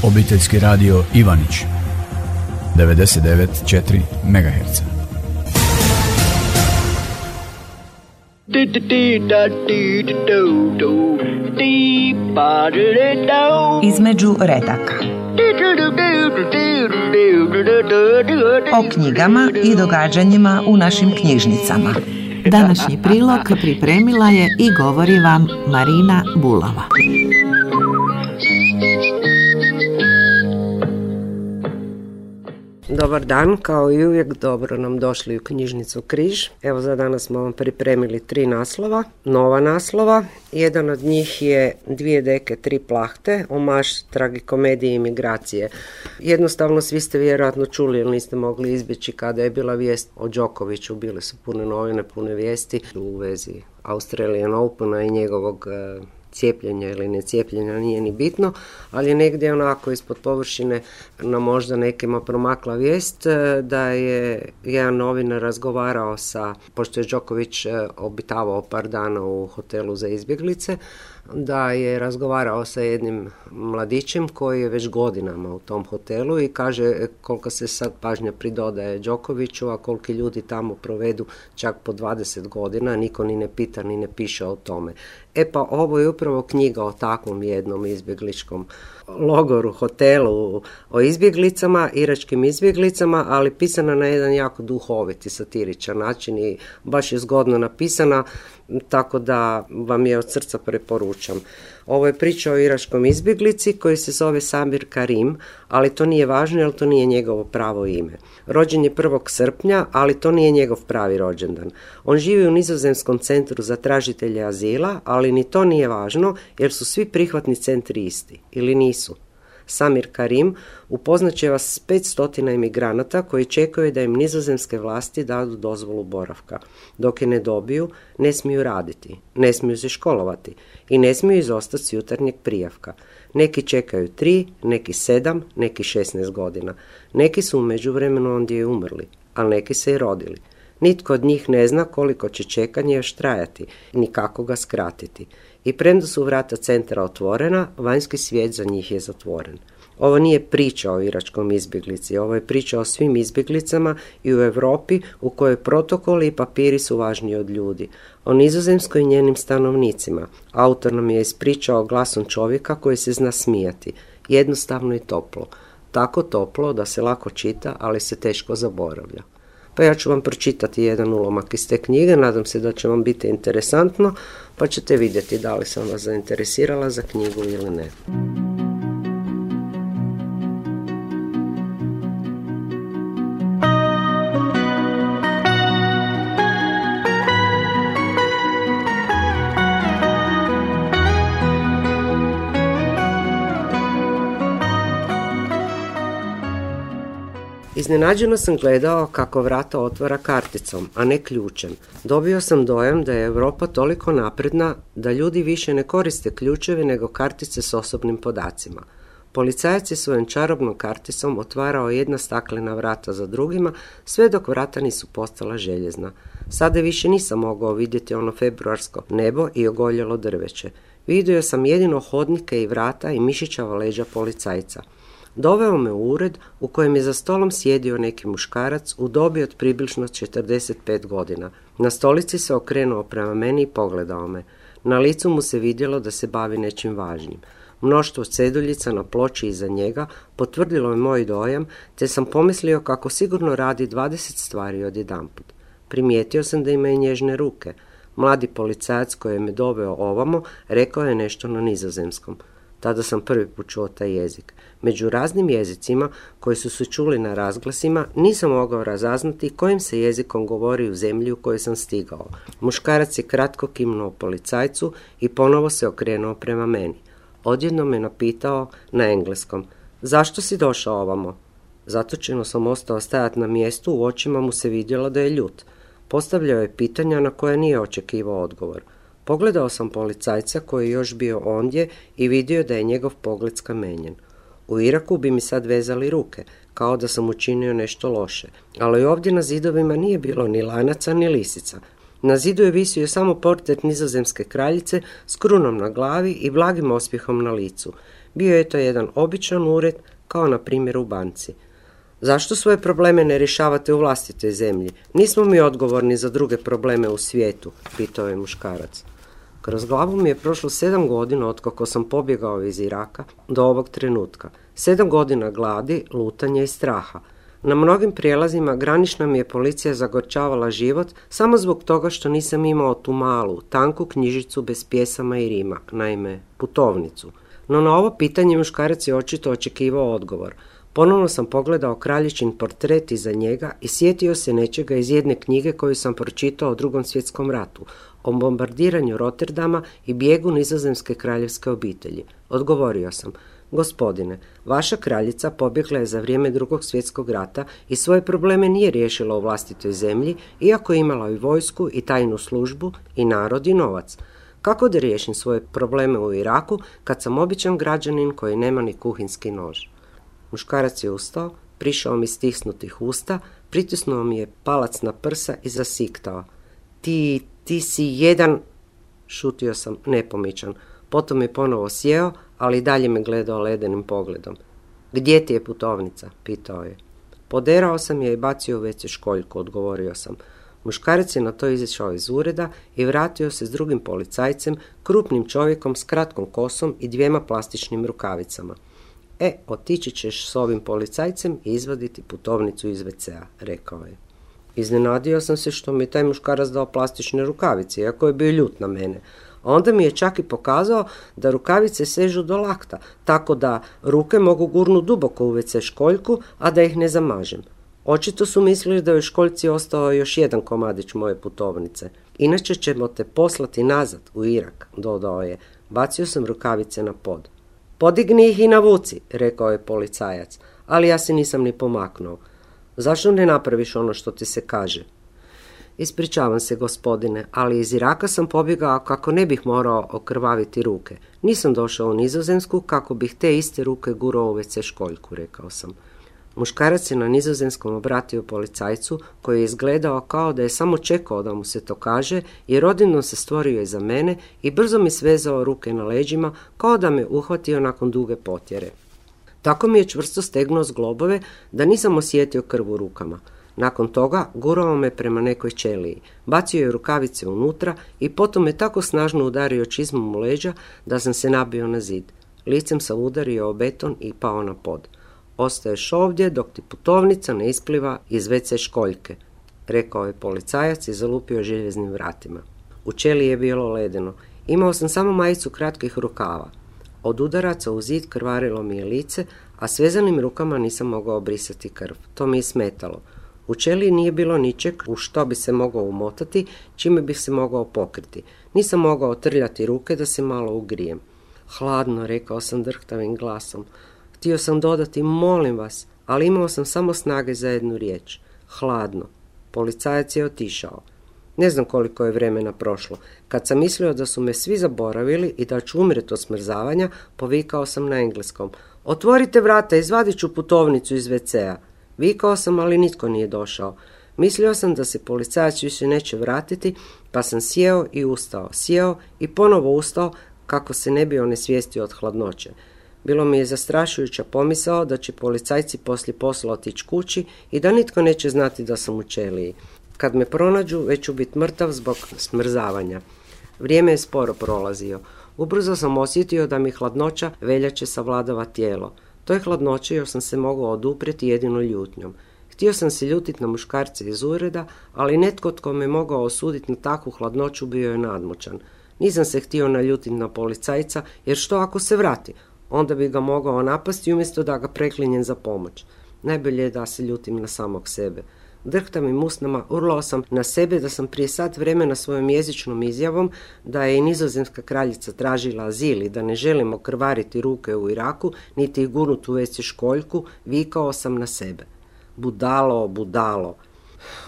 Obiteljski radio Ivanić 99,4 MHz. Između redaka. O knjigama i događanjima u našim knjižnicama. Današnji prilog pripremila je i govori vam Marina Bulava. Dobar dan, kao i uvijek dobro nam došli u knjižnicu Križ. Evo za danas smo vam pripremili 3 naslova, nova naslova. Jedan od njih je 2 deke, 3 plahte, omaž tragikomedije imigracije. Jednostavno svi ste vjerojatno čuli jer niste mogli izbjeći kada je bila vijest o Đokoviću. Bile su pune novine, pune vijesti u vezi Australian Opena i njegovog cijepljenja ili necijepljenja, nije ni bitno, ali je negdje onako ispod površine na možda nekima promakla vijest da je jedan novinar razgovarao pošto je Đoković obitavao par dana u hotelu za izbjeglice, da je razgovarao sa jednim mladićem koji je već godinama u tom hotelu i kaže koliko se sad pažnja pridodaje Đokoviću, a koliki ljudi tamo provedu čak po 20 godina, niko ni ne pita ni ne piše o tome. E pa ovo je upravo knjiga o takvom jednom izbjegličkom logoru, hotelu, o izbjeglicama, iračkim izbjeglicama, ali pisana na jedan jako duhoviti, satiričan način i baš je zgodno napisana, tako da vam je od srca preporučam. Ovo je priča o iračkom izbjeglici koji se zove Samir Karim, ali to nije važno jer to nije njegovo pravo ime. Rođen je 1. srpnja, ali to nije njegov pravi rođendan. On živi u Nizozemskom centru za tražitelje azila, ali ni to nije važno jer su svi prihvatni centri isti, ili nisu. Samir Karim upoznat će vas s 500 imigranata koji čekaju da im nizozemske vlasti dadu dozvolu boravka. Dok je ne dobiju, ne smiju raditi, ne smiju se školovati i ne smiju izostati s jutarnjeg prijavka. Neki čekaju 3, neki 7, neki 16 godina. Neki su u međuvremenu ondje umrli, ali neki se i rodili. Nitko od njih ne zna koliko će čekanje još trajati, ni kako ga skratiti. I premda su vrata centra otvorena, vanjski svijet za njih je zatvoren. Ovo nije priča o iračkom izbjeglici, ovo je priča o svim izbjeglicama i u Europi u kojoj protokoli i papiri su važniji od ljudi. O Nizozemskoj i njenim stanovnicima. Autor nam je ispričao glasom čovjeka koji se zna smijati. Jednostavno i toplo. Tako toplo da se lako čita, ali se teško zaboravlja. Pa ja ću vam pročitati jedan ulomak iz te knjige, nadam se da će vam biti interesantno, pa ćete vidjeti da li sam vas zainteresirala za knjigu ili ne. Iznenađeno sam gledao kako vrata otvara karticom, a ne ključem. Dobio sam dojam da je Europa toliko napredna da ljudi više ne koriste ključeve nego kartice s osobnim podacima. Policajac je svojom čarobnom karticom otvarao jedna staklena vrata za drugima, sve dok vrata nisu postala željezna. Sada više nisam mogao vidjeti ono februarsko nebo i ogoljelo drveće. Vidio sam jedino hodnike i vrata i mišićava leđa policajca. Doveo me u ured u kojem je za stolom sjedio neki muškarac u dobi od približno 45 godina. Na stolici se okrenuo prema meni i pogledao me. Na licu mu se vidjelo da se bavi nečim važnim. Mnoštvo ceduljica na ploči iza njega potvrdilo je moj dojam, te sam pomislio kako sigurno radi 20 stvari odjedanput. Primijetio sam da ima i nježne ruke. Mladi policajac koji je me doveo ovamo rekao je nešto na nizozemskom. Tada sam prvi put čuo taj jezik. Među raznim jezicima koji su se čuli na razglasima nisam mogao razaznati kojim se jezikom govori u zemlji u kojoj sam stigao. Muškarac je kratko kimnuo policajcu i ponovo se okrenuo prema meni. Odjednom me napitao na engleskom: zašto si došao ovamo? Zatočeno sam ostao stajati na mjestu, u očima mu se vidjelo da je ljut. Postavljao je pitanja na koje nije očekivao odgovor. Pogledao sam policajca koji je još bio ondje i vidio da je njegov pogled skamenjen. U Iraku bi mi sad vezali ruke, kao da sam učinio nešto loše, ali ovdje na zidovima nije bilo ni lanaca ni lisica. Na zidu je visio samo portret nizozemske kraljice s krunom na glavi i blagim osmijehom na licu. Bio je to jedan običan ured, kao na primjer u banci. Zašto svoje probleme ne rješavate u vlastitoj zemlji? Nismo mi odgovorni za druge probleme u svijetu, pitao je muškarac. Kroz glavu mi je prošlo 7 godina otkako sam pobjegao iz Iraka do ovog trenutka. 7 godina gladi, lutanja i straha. Na mnogim prijelazima granična mi je policija zagorčavala život samo zbog toga što nisam imao tu malu, tanku knjižicu bez pjesama i rima, naime, putovnicu. No na ovo pitanje muškarac je očito očekivao odgovor. Ponovno sam pogledao kraljičin portret iza njega i sjetio se nečega iz jedne knjige koju sam pročitao o Drugom svjetskom ratu, o bombardiranju Rotterdama i bijegu nizozemske kraljevske obitelji. Odgovorio sam: gospodine, vaša kraljica pobjegla je za vrijeme Drugog svjetskog rata i svoje probleme nije riješila u vlastitoj zemlji, iako je imala i vojsku i tajnu službu i narod i novac. Kako da riješim svoje probleme u Iraku kad sam običan građanin koji nema ni kuhinski nož? Muškarac je ustao, prišao mi stisnutih usta, pritisnuo mi je palac na prsa i zasiktao. Ti si jedan... Šutio sam nepomičan. Potom je ponovo sjeo, ali dalje me gledao ledenim pogledom. Gdje ti je putovnica? Pitao je. Poderao sam je i bacio u WC školjku, odgovorio sam. Muškarac je na to izašao iz ureda i vratio se s drugim policajcem, krupnim čovjekom s kratkom kosom i 2 plastičnim rukavicama. Otići ćeš s ovim policajcem i izvaditi putovnicu iz WC-a, rekao je. Iznenadio sam se što mi je taj muškarac dao plastične rukavice, iako je bio ljut na mene. A onda mi je čak i pokazao da rukavice sežu do lakta, tako da ruke mogu gurnuti duboko u WC školjku, a da ih ne zamažem. Očito su mislili da je u školjci ostao još jedan komadić moje putovnice. Inače ćemo te poslati nazad u Irak, dodao je. Bacio sam rukavice na pod. Podigni ih i navuci, rekao je policajac, ali ja se nisam ni pomaknuo. Zašto ne napraviš ono što ti se kaže? Ispričavam se, gospodine, ali iz Iraka sam pobjegao kako ne bih morao okrvaviti ruke. Nisam došao u Nizozemsku kako bih te iste ruke gurao u WC školjku, rekao sam. Muškarac se na nizozemskom obratio policajcu, koji je izgledao kao da je samo čekao da mu se to kaže, jer odjednom se stvorio iza mene i brzo mi svezao ruke na leđima, kao da me uhvatio nakon duge potjere. Tako mi je čvrsto stegnuo zglobove da nisam osjetio krv u rukama. Nakon toga gurao me prema nekoj ćeliji, bacio je rukavice unutra i potom me tako snažno udario čizmom u leđa da sam se nabio na zid. Licem sam udario o beton i pao na pod. Ostaješ ovdje dok ti putovnica ne ispliva iz WC školjke, rekao je policajac i zalupio željeznim vratima. U ćeliji je bilo ledeno. Imao sam samo majicu kratkih rukava. Od udaraca u zid krvarilo mi je lice, a svezanim rukama nisam mogao brisati krv. To mi je smetalo. U ćeliji nije bilo ničeg u što bi se mogao umotati, čime bih se mogao pokriti. Nisam mogao trljati ruke da se malo ugrijem. Hladno, rekao sam drhtavim glasom. Htio sam dodati, molim vas, ali imao sam samo snage za jednu riječ. Hladno. Policajac je otišao. Ne znam koliko je vremena prošlo. Kad sam mislio da su me svi zaboravili i da ću umreti od smrzavanja, povikao sam na engleskom. Otvorite vrata, izvadit ću putovnicu iz WC-a. Vikao sam, ali nitko nije došao. Mislio sam da se policajac više neće vratiti, pa sam sjeo i ustao. Sjeo i ponovo ustao kako se ne bi onesvijestio od hladnoće. Bilo mi je zastrašujuća pomisao da će policajci poslije posla otići kući i da nitko neće znati da sam u ćeliji. Kad me pronađu, već ću biti mrtav zbog smrzavanja. Vrijeme je sporo prolazio. Ubrzo sam osjetio da mi hladnoća veljače savladava tijelo. Toj hladnoći još sam se mogao oduprijeti jedino ljutnjom. Htio sam se ljutiti na muškarce iz ureda, ali netko tko me mogao osuditi na takvu hladnoću bio je nadmoćan. Nisam se htio naljutiti na policajca, jer što ako se vrati? Onda bi ga mogao napasti umjesto da ga preklinjem za pomoć. Najbolje je da se ljutim na samog sebe. Drhtavim usnama urlao sam na sebe da sam prije sat vremena svojom jezičnom izjavom da je i nizozemska kraljica tražila azil i da ne želimo krvariti ruke u Iraku, niti ih gurnuti u WC školjku, vikao sam na sebe. Budalo, budalo.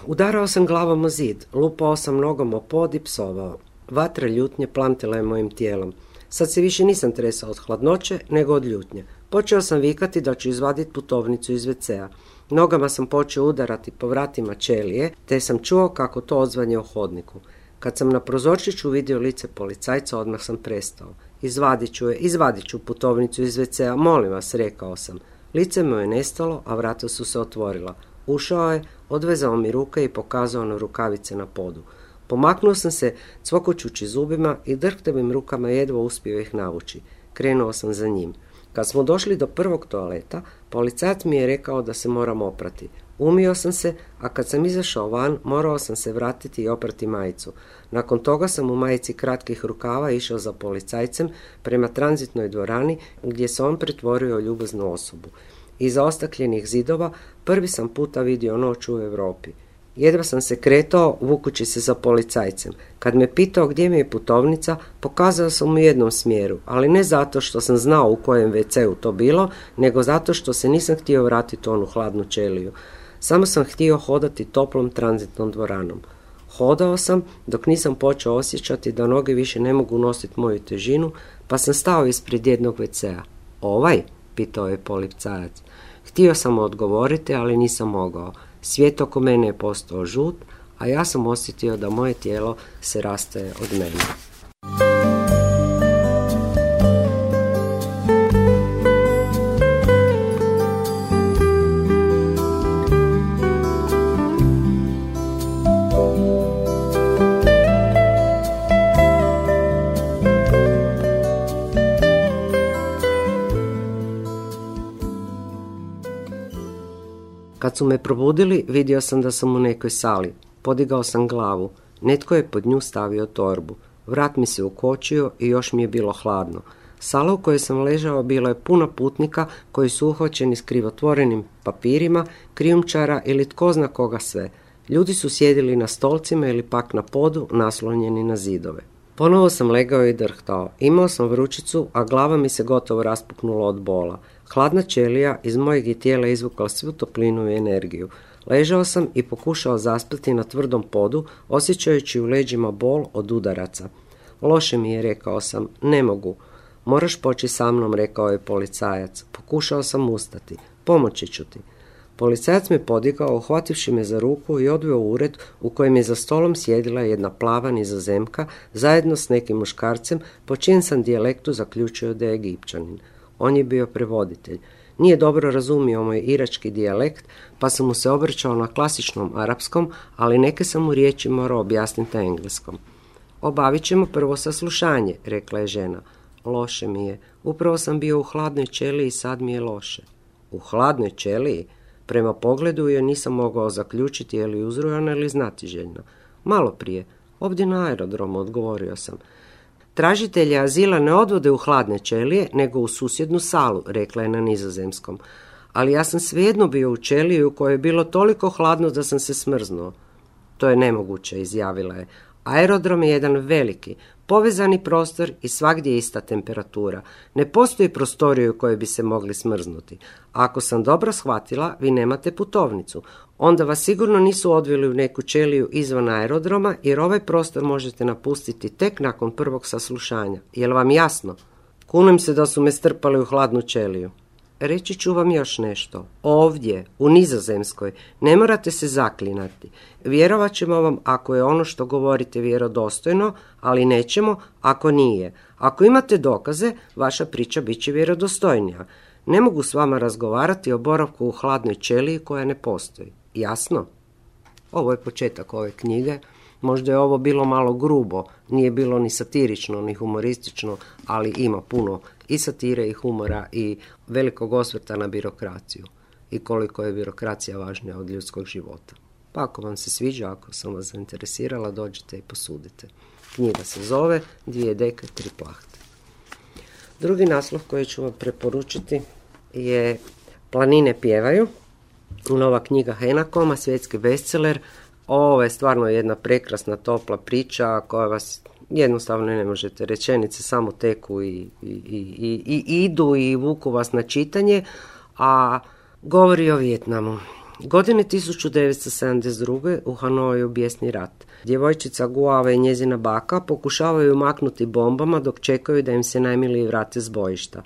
Udarao sam glavom o zid, lupao sam nogom o pod i psovao. Vatra ljutnje plantila je mojim tijelom. Sad se više nisam tresao od hladnoće, nego od ljutnje. Počeo sam vikati da ću izvaditi putovnicu iz WC-a. Nogama sam počeo udarati po vratima ćelije, te sam čuo kako to odzvanje u hodniku. Kad sam na prozorčiću vidio lice policajca, odmah sam prestao. Izvadit ću putovnicu iz WC-a, molim vas, rekao sam. Lice mu je nestalo, a vrata su se otvorila. Ušao je, odvezao mi ruke i pokazao na rukavice na podu. Pomaknuo sam se, cvokoćući zubima i drhtavim rukama jedva uspio ih navući. Krenuo sam za njim. Kad smo došli do prvog toaleta, policajac mi je rekao da se moram oprati. Umio sam se, a kad sam izašao van, morao sam se vratiti i oprati majicu. Nakon toga sam u majici kratkih rukava išao za policajcem prema tranzitnoj dvorani gdje se on pretvorio u ljubaznu osobu. Iza ostakljenih zidova prvi sam puta vidio noć u Europi. Jedva sam se kretao, vukući se za policajcem. Kad me pitao gdje mi je putovnica, pokazao sam u jednom smjeru, ali ne zato što sam znao u kojem WC-u to bilo, nego zato što se nisam htio vratiti u onu hladnu ćeliju. Samo sam htio hodati toplom tranzitnom dvoranom. Hodao sam dok nisam počeo osjećati da noge više ne mogu nositi moju težinu, pa sam stao ispred jednog WC-a. Ovaj? Pitao je policajac. Htio sam odgovoriti, ali nisam mogao. Svijet oko mene je postao žut, a ja sam osjetio da moje tijelo se rastaje od mene. Kad su me probudili, vidio sam da sam u nekoj sali. Podigao sam glavu. Netko je pod nju stavio torbu. Vrat mi se ukočio i još mi je bilo hladno. Sala u kojoj sam ležao bila je puna putnika koji su uhvaćeni s krivotvorenim papirima, krijumčara ili tko zna koga sve. Ljudi su sjedili na stolcima ili pak na podu, naslonjeni na zidove. Ponovo sam legao i drhtao. Imao sam vrućicu, a glava mi se gotovo raspuknula od bola. Hladna ćelija iz mojeg je tijela izvukla svu toplinu i energiju. Ležao sam i pokušao zaspati na tvrdom podu, osjećajući u leđima bol od udaraca. Loše mi je, rekao sam, ne mogu. Moraš poći sa mnom, rekao je policajac. Pokušao sam ustati. Pomoći ću ti. Policajac me podigao, uhvativši me za ruku i odveo u ured u kojem je za stolom sjedila jedna plava Nizozemka zajedno s nekim muškarcem po čijem sam dijalektu zaključio da je Egipćanin. On je bio prevoditelj. Nije dobro razumio moj irački dijalekt, pa sam mu se obraćao na klasičnom arapskom, ali neke sam mu riječi morao objasniti na engleskom. Obavit ćemo prvo saslušanje, rekla je žena. Loše mi je. Upravo sam bio u hladnoj ćeliji i sad mi je loše. U hladnoj ćeliji? Prema pogledu je nisam mogao zaključiti je li uzrujana ili znatiželjna. Malo prije, ovdje na aerodromu, odgovorio sam. Tražitelje azila ne odvode u hladne ćelije, nego u susjednu salu, rekla je na nizozemskom. Ali ja sam svejedno bio u ćeliji u kojoj je bilo toliko hladno da sam se smrznuo. To je nemoguće, izjavila je. Aerodrom je jedan veliki, povezani prostor i svagdje je ista temperatura. Ne postoji prostorije u kojoj bi se mogli smrznuti. A ako sam dobro shvatila, vi nemate putovnicu. Onda vas sigurno nisu odveli u neku ćeliju izvan aerodroma, jer ovaj prostor možete napustiti tek nakon prvog saslušanja. Je li vam jasno? Kunem se da su me strpali u hladnu ćeliju. Reći ću vam još nešto. Ovdje, u Nizozemskoj, ne morate se zaklinati. Vjerovat ćemo vam ako je ono što govorite vjerodostojno, ali nećemo ako nije. Ako imate dokaze, vaša priča bit će vjerodostojnija. Ne mogu s vama razgovarati o boravku u hladnoj ćeliji koja ne postoji. Jasno? Ovo je početak ove knjige. Možda je ovo bilo malo grubo, nije bilo ni satirično, ni humoristično, ali ima puno i satire i humora i velikog osvrta na birokraciju i koliko je birokracija važnija od ljudskog života. Pa ako vam se sviđa, ako sam vas zainteresirala, dođite i posudite. Knjiga se zove 2 deke, 3 plahte. Drugi naslov koji ću vam preporučiti je Planine pjevaju, nova knjiga Henakoma, svjetski bestseller. Ovo je stvarno jedna prekrasna, topla priča koja vas jednostavno ne možete, rečenice samo teku i idu i vuku vas na čitanje, a govori o Vijetnamu. Godine 1972. u Hanoju bijesni rat. Djevojčica Guava i njezina baka pokušavaju maknuti bombama dok čekaju da im se najmiliji vrate s bojišta.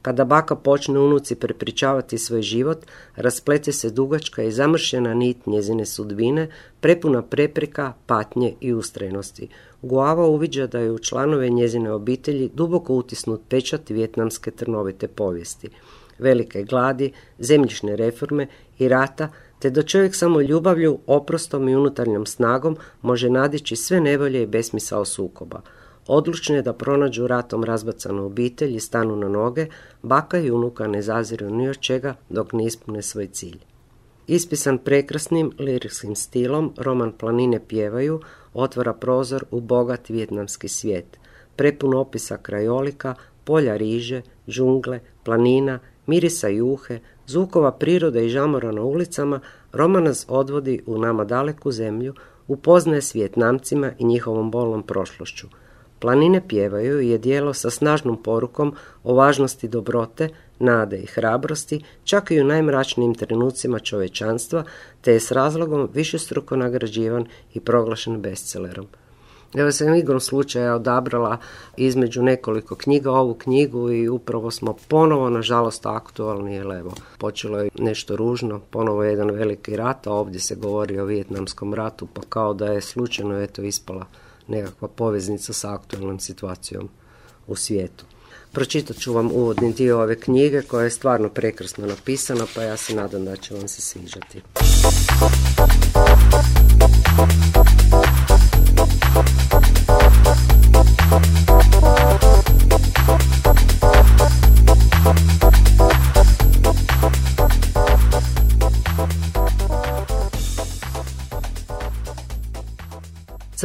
Kada baka počne unuci prepričavati svoj život, rasplete se dugačka i zamršena nit njezine sudbine, prepuna prepreka, patnje i ustrajnosti. Guava uviđa da je u članove njezine obitelji duboko utisnut pečat vijetnamske trnovite povijesti, velike gladi, zemljišne reforme i rata, te da čovjek samo ljubavlju, oprostom i unutarnjom snagom može nadići sve nevolje i besmisao sukoba. Odlučne da pronađu ratom razbacanu obitelj i stanu na noge, baka i unuka ne zaziru ni od čega dok ne ispune svoj cilj. Ispisan prekrasnim liričkim stilom, roman Planine pjevaju otvara prozor u bogat vijetnamski svijet, prepun opisa krajolika, polja riže, džungle, planina, mirisa juhe, zvukova prirode i žamora na ulicama. Roman nas odvodi u nama daleku zemlju, upoznaje s Vijetnamcima i njihovom bolnom prošlošću. Planine pjevaju je djelo sa snažnom porukom o važnosti dobrote, nade i hrabrosti, čak i u najmračnijim trenucima čovječanstva, te je s razlogom višestruko nagrađivan i proglašen bestsellerom. Evo sam igrom slučaja odabrala između nekoliko knjiga ovu knjigu i upravo smo ponovo, nažalost, aktualni, jer evo, počelo je nešto ružno, ponovo je jedan veliki rat, a ovdje se govori o Vijetnamskom ratu, pa kao da je slučajno ispala nekakva poveznica sa aktualnom situacijom u svijetu. Pročitat ću vam uvodni dio ove knjige koja je stvarno prekrasno napisana, pa ja se nadam da će vam se sviđati.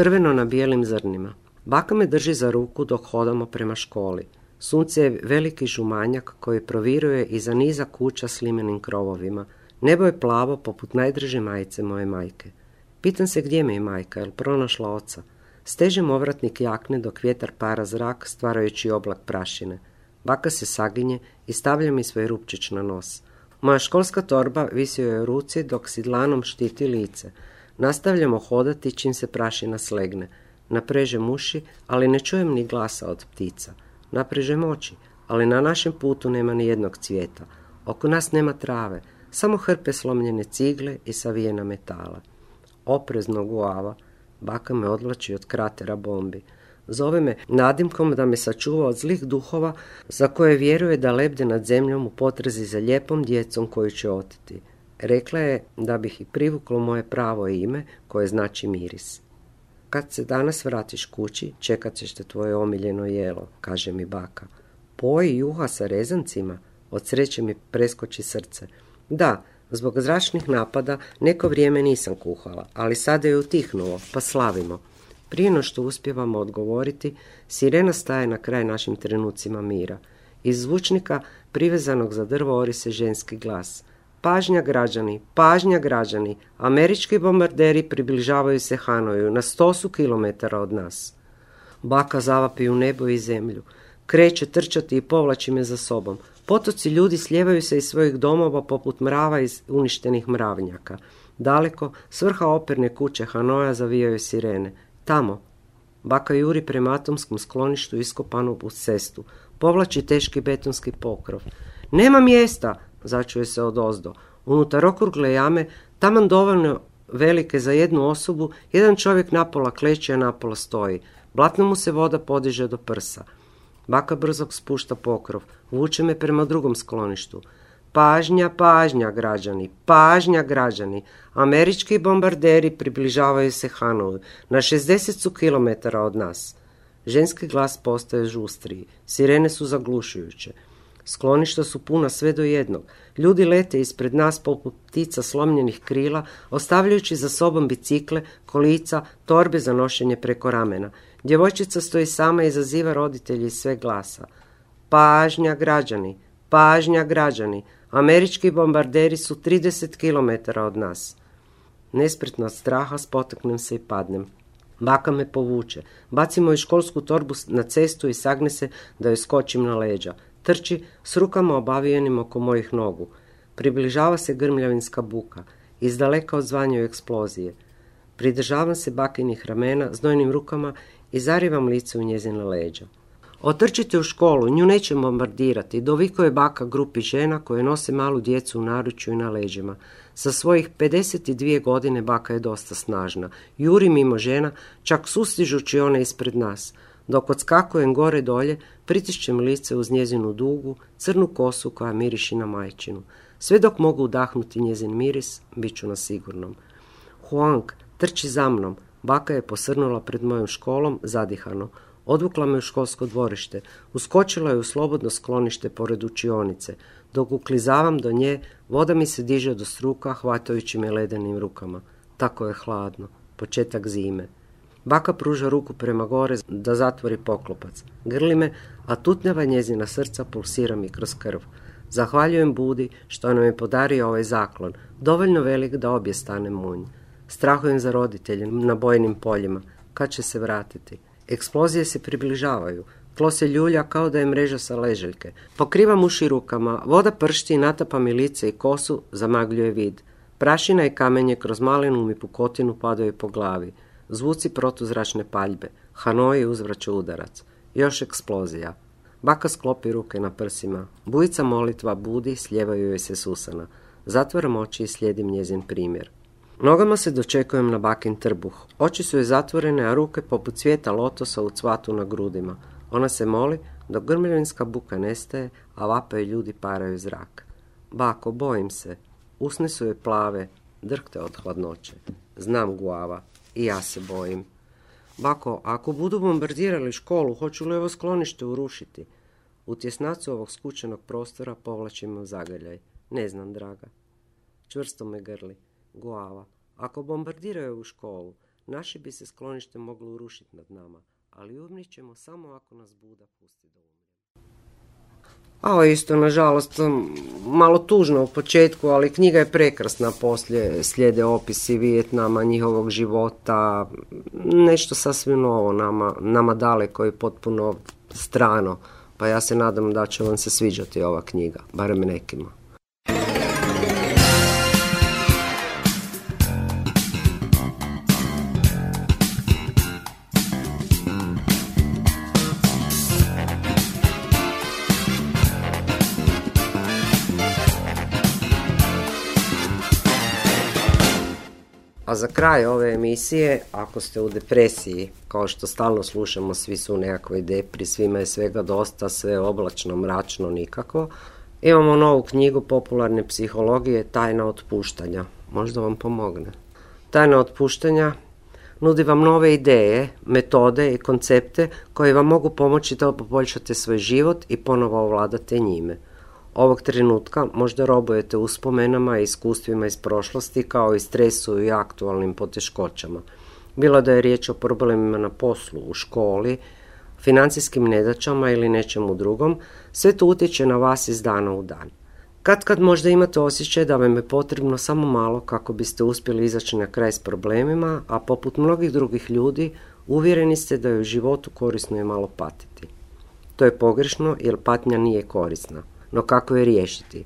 Crveno na bijelim zrnima. Baka me drži za ruku dok hodamo prema školi. Sunce je veliki žumanjak koji proviruje iza niza kuća s limenim krovovima. Nebo je plavo poput najdraže majice moje majke. Pitam se gdje mi je majka, jel pronašla oca. Stežem ovratnik jakne dok vjetar para zrak stvarajući oblak prašine. Baka se saginje i stavlja mi svoj rupčić na nos. Moja školska torba visi joj u ruci dok si dlanom štiti lice. Nastavljamo hodati čim se prašina slegne. Naprežem uši, ali ne čujem ni glasa od ptica. Naprežem oči, ali na našem putu nema ni jednog cvijeta. Oko nas nema trave, samo hrpe slomljene cigle i savijena metala. Oprezno Guava, baka me odvlači od kratera bombi. Zove me nadimkom da me sačuva od zlih duhova za koje vjeruje da lebde nad zemljom u potrazi za lijepom djecom koju će oteti. Rekla je da bih i privuklo moje pravo ime koje znači miris. Kad se danas vratiš kući, čekat ćeš te tvoje omiljeno jelo, kaže mi baka. Poji juha sa rezancima, od sreće mi preskoči srce. Da, zbog zračnih napada neko vrijeme nisam kuhala, ali sada je utihnulo, pa slavimo. Prije no što uspijevamo odgovoriti, sirena staje na kraj našim trenucima mira. Iz zvučnika privezanog za drvo ori se ženski glas. Pažnja građani, američki bombarderi približavaju se Hanoju, na 100 su kilometara od nas. Baka zavapi u nebo i zemlju, kreće trčati i povlači me za sobom. Potoci ljudi slijevaju se iz svojih domova poput mrava iz uništenih mravnjaka. Daleko, s vrha operne kuće Hanoja zavijaju sirene. Tamo, baka juri prema atomskom skloništu iskopanu uz cestu. Povlači teški betonski pokrov. Nema mjesta, začuje se odozdo. Unutar okrugle jame, taman dovoljno velike za jednu osobu, jedan čovjek napola kleče, a napola stoji. Blatno mu se voda podiže do prsa. Baka brzo spušta pokrov, vuče me prema drugom skloništu. Pažnja građani, američki bombarderi približavaju se Hanoju, na 60 su kilometara od nas. Ženski glas postaje žustriji, sirene su zaglušujuće. Skloništa su puna sve do jednog. Ljudi lete ispred nas poput ptica slomljenih krila, ostavljajući za sobom bicikle, kolica, torbe za nošenje preko ramena. Djevojčica stoji sama i izaziva roditelji iz sve glasa. Pažnja građani, američki bombarderi su 30 kilometara od nas. Nespretno od straha spotaknem se i padnem. Baka me povuče, baci moju školsku torbu na cestu i sagne se da joj skočim na leđa. Trči s rukama obavijenim oko mojih nogu. Približava se grmljavinska buka. Izdaleka odzvanjaju eksplozije. Pridržavam se bakinih ramena znojnim rukama i zarivam lice u njezina leđa. Otrčite u školu, nju neće bombardirati, dovikuje baka grupi žena koje nose malu djecu u naručju i na leđima. Sa svojih 52 godine baka je dosta snažna. Juri mimo žena, čak sustižući one ispred nas. Dok odskakujem gore dolje, pritišćem lice uz njezinu dugu, crnu kosu koja miriši na majčinu. Sve dok mogu udahnuti njezin miris, bit ću na sigurnom. Huang, trči za mnom. Baka je posrnula pred mojom školom, zadihano. Odvukla me u školsko dvorište. Uskočila je u slobodno sklonište pored učionice. Dok uklizavam do nje, voda mi se diže do struka, hvatajući me ledenim rukama. Tako je hladno. Početak zime. Baka pruža ruku prema gore da zatvori poklopac. Grli me, a tutnjava njezina srca pulsira mi kroz krv. Zahvaljujem Budi što nam je podario ovaj zaklon, dovoljno velik da obje stane munj. Strahujem za roditelje na bojnim poljima. Kad će se vratiti? Eksplozije se približavaju. Tlo se ljulja kao da je mreža sa leželjke. Pokrivam uši rukama, voda pršti i natapa mi lice i kosu, zamagljuje vid. Prašina i kamenje kroz malenu mi pukotinu padaju po glavi. Zvuci protuzračne paljbe. Hanoi uzvraća udarac. Još eksplozija. Baka sklopi ruke na prsima. Bujica molitva Budi, sljevaju joj se susana. Zatvaram oči i slijedim njezin primjer. Nogama se dočekujem na bakin trbuh. Oči su joj zatvorene, a ruke poput cvijeta lotosa u cvatu na grudima. Ona se moli dok grmljavinska buka nestaje, a vape ljudi paraju zrak. Bako, bojim se. Usne su joj plave, drhte od hladnoće. Znam, Guava, i ja se bojim. Bako, ako budu bombardirali školu, hoću li ovo sklonište urušiti? U tjesnacu ovog skučenog prostora povlačimo zagrljaj. Ne znam, draga. Čvrsto me grli. Guava, ako bombardiraju u školu, naše bi se sklonište moglo urušiti nad nama, ali umrijet ćemo samo ako nas Buda pusti da umremo. Ovo isto, nažalost, malo tužno u početku, ali knjiga je prekrasna. Poslije slijede opisi Vijetnama, njihovog života, nešto sasvim novo, nama daleko i potpuno strano. Pa ja se nadam da će vam se sviđati ova knjiga, barem nekima. A za kraj ove emisije, ako ste u depresiji, kao što stalno slušamo, svi su u nekakvoj depri, svima je svega dosta, sve oblačno, mračno, nikako, imamo novu knjigu popularne psihologije Tajna otpuštanja. Možda vam pomogne. Tajna otpuštanja nudi vam nove ideje, metode i koncepte koji vam mogu pomoći da poboljšate svoj život i ponovo ovladate njime. Ovog trenutka možda robujete uspomenama i iskustvima iz prošlosti kao i stresu i aktualnim poteškoćama. Bilo da je riječ o problemima na poslu, u školi, financijskim nedaćama ili nečemu drugom, sve to utječe na vas iz dana u dan. Kad možda imate osjećaj da vam je potrebno samo malo kako biste uspjeli izaći na kraj s problemima, a poput mnogih drugih ljudi uvjereni ste da je u životu korisno je malo patiti. To je pogrešno jer patnja nije korisna. No kako je riješiti?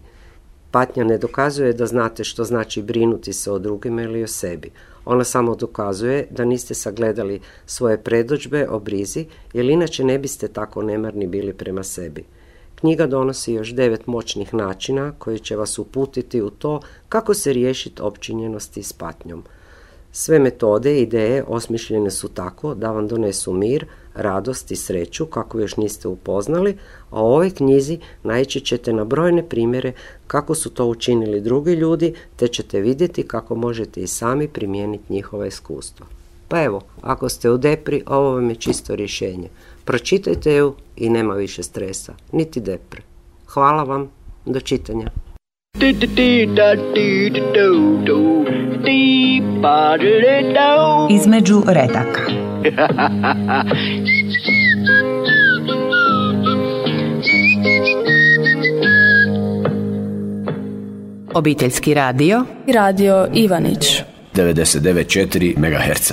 Patnja ne dokazuje da znate što znači brinuti se o drugima ili o sebi. Ona samo dokazuje da niste sagledali svoje predodžbe o brizi, jer inače ne biste tako nemarni bili prema sebi. Knjiga donosi još 9 moćnih načina koji će vas uputiti u to kako se riješiti opčinjenosti s patnjom. Sve metode i ideje osmišljene su tako da vam donesu mir, radost i sreću kako još niste upoznali, a u ovoj knjizi naići ćete na brojne primjere kako su to učinili drugi ljudi, te ćete vidjeti kako možete i sami primijeniti njihova iskustva. Pa evo, ako ste u depri, ovo vam je čisto rješenje. Pročitajte ju i nema više stresa, niti depre. Hvala vam, do čitanja. Između redaka. Obiteljski radio. Radio Ivanić. 99,4 MHz.